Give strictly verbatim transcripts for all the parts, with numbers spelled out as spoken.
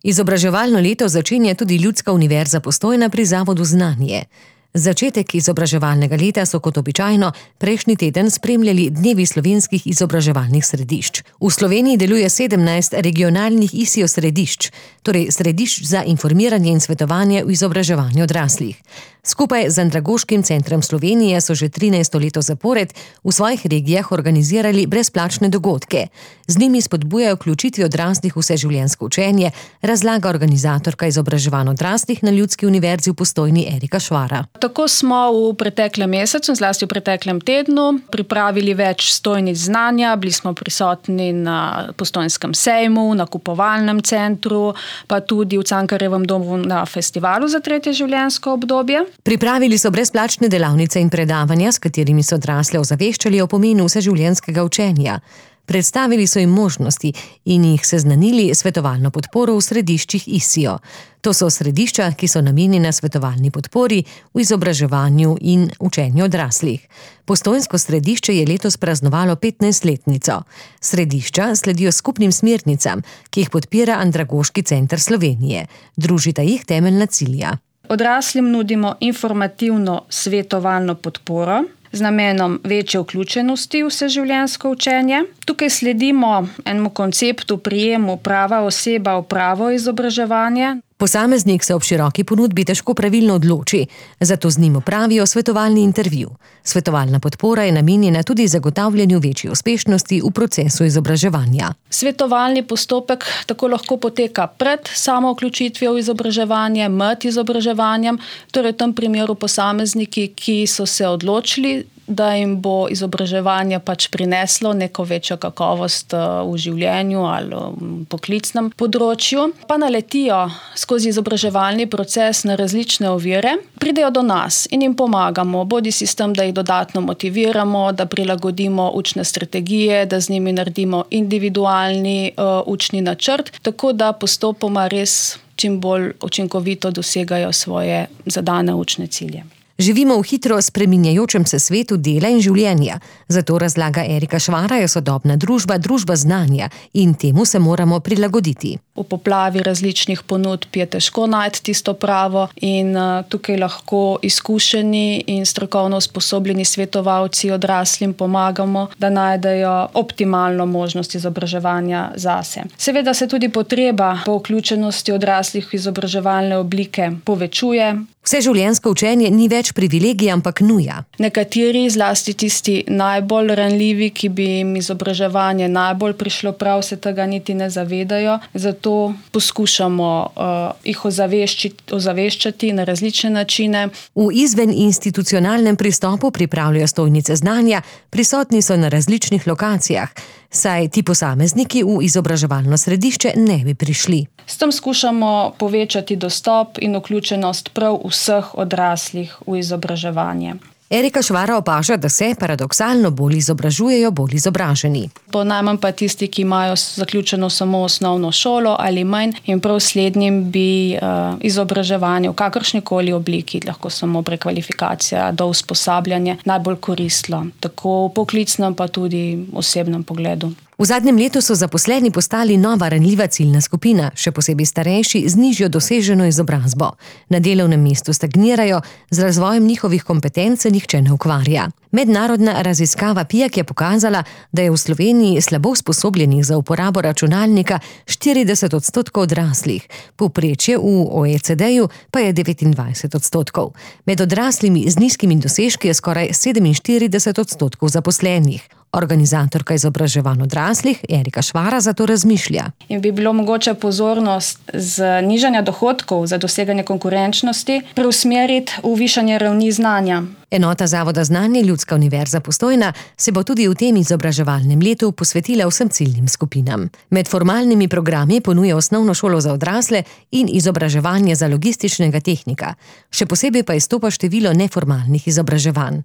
Izobraževalno leto začenja tudi Ljudska univerza Postojna pri Zavodu Znanje. Začetek izobraževalnega leta so kot običajno prejšnji teden spremljali dnevi slovenskih izobraževalnih središč. V Sloveniji deluje sedemnajst regionalnih I S I O središč, torej središč za informiranje in svetovanje v izobraževanju odraslih. Skupaj z Andragoškim centrom Slovenije so že trinajsto leto zapored v svojih regijah organizirali brezplačne dogodke. Z njimi spodbujajo vključitvi odraslih v vseživljenjsko učenje, razlaga organizatorka izobraževanj odraslih na Ljudski univerzi v Postojni Erika Švara. Tako smo v preteklem mesecu, zlasti v preteklem tednu, pripravili več stojnic znanja, bili smo prisotni na Postojnskem sejmu, na kupovalnem centru, pa tudi v Cankarjevem domu na festivalu za tretje življenjsko obdobje. Pripravili so brezplačne delavnice in predavanja, s katerimi so odrasle ozaveščali o pomenu vseživljenjskega učenja. Predstavili so jim možnosti in jih seznanili svetovalno podporo v središčih I S I O. To so središča, ki so namenjena svetovalni podpori v izobraževanju in učenju odraslih. Postojnsko središče je letos praznovalo petnajstletnico. Središča sledijo skupnim smernicam, ki jih podpira Andragoški center Slovenije. Družita jih temeljna cilja. Odraslim nudimo informativno svetovalno podporo z namenom večje vključenosti v vseživljenjsko učenje. Tukaj sledimo enemu konceptu prijemu prava oseba v pravo izobraževanje. Posameznik se ob široki ponudbi težko pravilno odloči, zato z njim opravijo svetovalni intervju. Svetovalna podpora je namenjena tudi zagotavljanju večje uspešnosti v procesu izobraževanja. Svetovalni postopek tako lahko poteka pred samo vključitvijo v izobraževanje, med izobraževanjem, torej v tem primeru posamezniki, ki so se odločili, da jim bo izobraževanje pač prineslo neko večjo kakovost v življenju ali v poklicnem področju, pa naletijo skozi izobraževalni proces na različne ovire, pridejo do nas in jim pomagamo, bodisi s tem, da jih dodatno motiviramo, da prilagodimo učne strategije, da z njimi naredimo individualni uh, učni načrt, tako da postopoma res čim bolj učinkovito dosegajo svoje zadane učne cilje. Živimo v hitro spreminjajočem se svetu dela in življenja. Zato, razlaga Erika Švara, je sodobna družba družba znanja in temu se moramo prilagoditi. V poplavi različnih ponudb je težko najti tisto pravo in tukaj lahko izkušeni in strokovno usposobljeni svetovalci odraslim pomagamo, da najdejo optimalno možnost izobraževanja zase. Seveda se tudi potreba po vključenosti odraslih v izobraževalne oblike povečuje. Vseživljenjsko učenje ni več privilegij, ampak nuja. Nekateri, zlasti tisti najbolj ranljivi, ki bi jim izobraževanje najbolj prišlo prav, se tega niti ne zavedajo. Zato poskušamo uh, jih ozaveščati, ozaveščati na različne načine. V izveninstitucionalnem pristopu pripravljajo stojnice znanja, prisotni so na različnih lokacijah, saj ti posamezniki v izobraževalno središče ne bi prišli. S tem skušamo povečati dostop in vključenost prav vseh odraslih v izobraževanje. Erika Švara opaža, da se paradoksalno bolj izobražujejo bolj izobraženi. Po najmanj pa tisti, ki imajo zaključeno samo osnovno šolo ali manj, in prav slednjim bi uh, izobraževanje v kakršnikoli obliki, lahko samo prekvalifikacija do usposabljanja, najbolj koristilo, tako v poklicnem pa tudi osebnem pogledu. V zadnjem letu so zaposleni postali nova ranljiva ciljna skupina, še posebej starejši z nižjo doseženo izobrazbo. Na delovnem mestu stagnirajo, z razvojem njihovih kompetenc se nihče ne ukvarja. Mednarodna raziskava P I A K je pokazala, da je v Sloveniji slabo usposobljenih za uporabo računalnika štirideset odstotkov odraslih, povprečje v O E C D-ju pa je devetindvajset odstotkov. Med odraslimi z nizkimi dosežki je skoraj sedeminštirideset odstotkov zaposlenih. Organizatorka izobraževanj odraslih Erika Švara zato razmišlja. In bi bilo mogoče pozornost z nižanja dohodkov za doseganje konkurenčnosti preusmeriti v višanje ravni znanja. Enota Zavoda Znanje Ljudska univerza Postojna se bo tudi v tem izobraževalnem letu posvetila vsem ciljnim skupinam. Med formalnimi programi ponuja osnovno šolo za odrasle in izobraževanje za logističnega tehnika. Še posebej pa izstopa število neformalnih izobraževanj.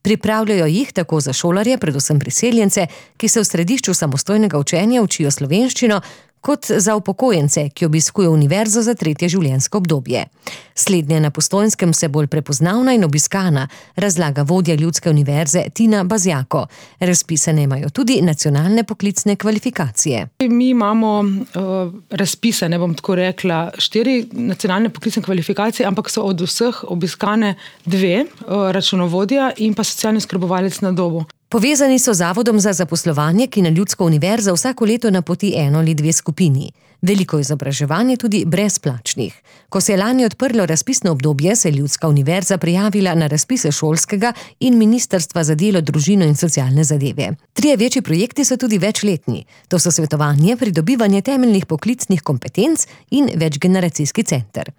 Pripravljajo jih tako za šolarje, predvsem priseljence, ki se v središču samostojnega učenja učijo slovenščino, kot za upokojence, ki obiskujejo univerzo za tretje življenjsko obdobje. Slednje na Postojnskem se bolj prepoznavna in obiskana, razlaga vodja Ljudske univerze Tina Bazjako. Razpisane imajo tudi nacionalne poklicne kvalifikacije. Mi imamo uh, razpisane, bom tako rekla, štiri nacionalne poklicne kvalifikacije, ampak so od vseh obiskane dve, uh, računovodja in pa socialni oskrbovalec na domu. Povezani so z Zavodom za zaposlovanje, ki na Ljudsko univerzo vsako leto napoti eno ali dve skupini. Veliko izobraževanje tudi brezplačnih. Ko se je lani odprlo razpisno obdobje, se je Ljudska univerza prijavila na razpise šolskega in Ministrstva za delo, družino in socialne zadeve. Trije večji projekti so tudi večletni. To so svetovanje, pridobivanje temeljnih poklicnih kompetenc in večgeneracijski center.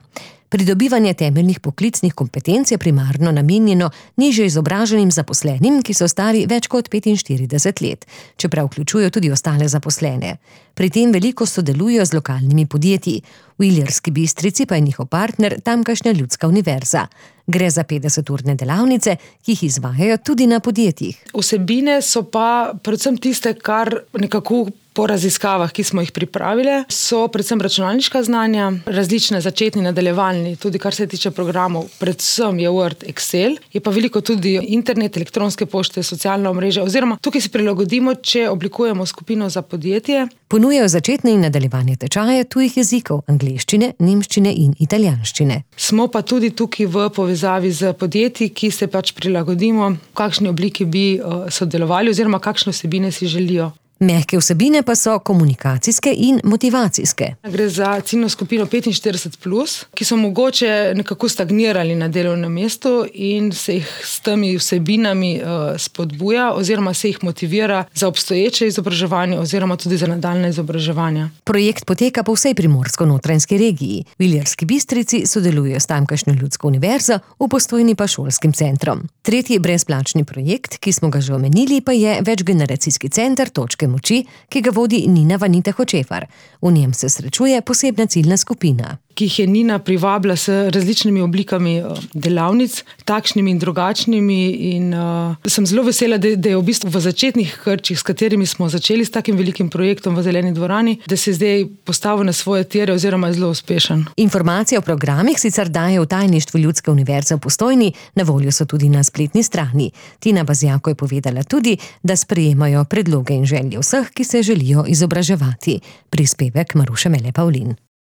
Pridobivanje temeljnih poklicnih kompetenc je primarno namenjeno nižje izobraženim zaposlenim, ki so stari več kot petinštirideset let, čeprav vključujejo tudi ostale zaposlene. Pri tem veliko sodelujejo z lokalnimi podjetji. V Ilirski Bistrici pa je njihov partner tamkajšnja Ljudska univerza. Gre za petdeseturne delavnice, ki jih izvajajo tudi na podjetjih. Vsebine so pa predvsem tiste, kar nekako po raziskavah, ki smo jih pripravili, so predvsem računalniška znanja, različne začetni, nadaljevalni, tudi kar se tiče programov, predvsem je Word, Excel, je pa veliko tudi internet, elektronske pošte, socialna omrežja, oziroma tukaj si prilagodimo, če oblikujemo skupino za podjetje. Ponujajo začetne in nadaljevanje tečaje tujih jezikov, angleščine, nemščine in italijanščine. Smo pa tudi tukaj v povezavi z podjetji, ki se pač prilagodimo, v kakšni obliki bi sodelovali oziroma kakšne vsebine si želijo. Mehke vsebine pa so komunikacijske in motivacijske. Gre za ciljno skupino petinštirideset plus, ki so mogoče nekako stagnirali na delovnem mestu in se jih s temi vsebinami spodbuja oziroma se jih motivira za obstoječe izobraževanje oziroma tudi za nadaljne izobraževanja. Projekt poteka po vsej primorsko-notranjski regiji. V Ilirski Bistrici sodelujejo s tamkajšnjo Ljudsko univerzo, v Postojni pa šolskim centrom. Tretji brezplačni projekt, ki smo ga že omenili, pa je večgeneracijski center Točke moči, ki ga vodi Nina Vanita Hočefar. V njem se srečuje posebna ciljna skupina, ki jih je Nina privabila s različnimi oblikami delavnic, takšnimi in drugačnimi, in uh, sem zelo vesela, da, da je v bistvu v začetnih krčih, s katerimi smo začeli s takim velikim projektom v Zeleni dvorani, da se zdaj postavil na svoje tire oziroma je zelo uspešen. Informacije o programih sicer daje v tajništvu Ljudske univerze v Postojni, na voljo so tudi na spletni strani. Tina Bazjako je povedala tudi, da sprejemajo predloge in želje vseh, ki se želijo izobraževati. Prispevek Maruše Mele Pavlin.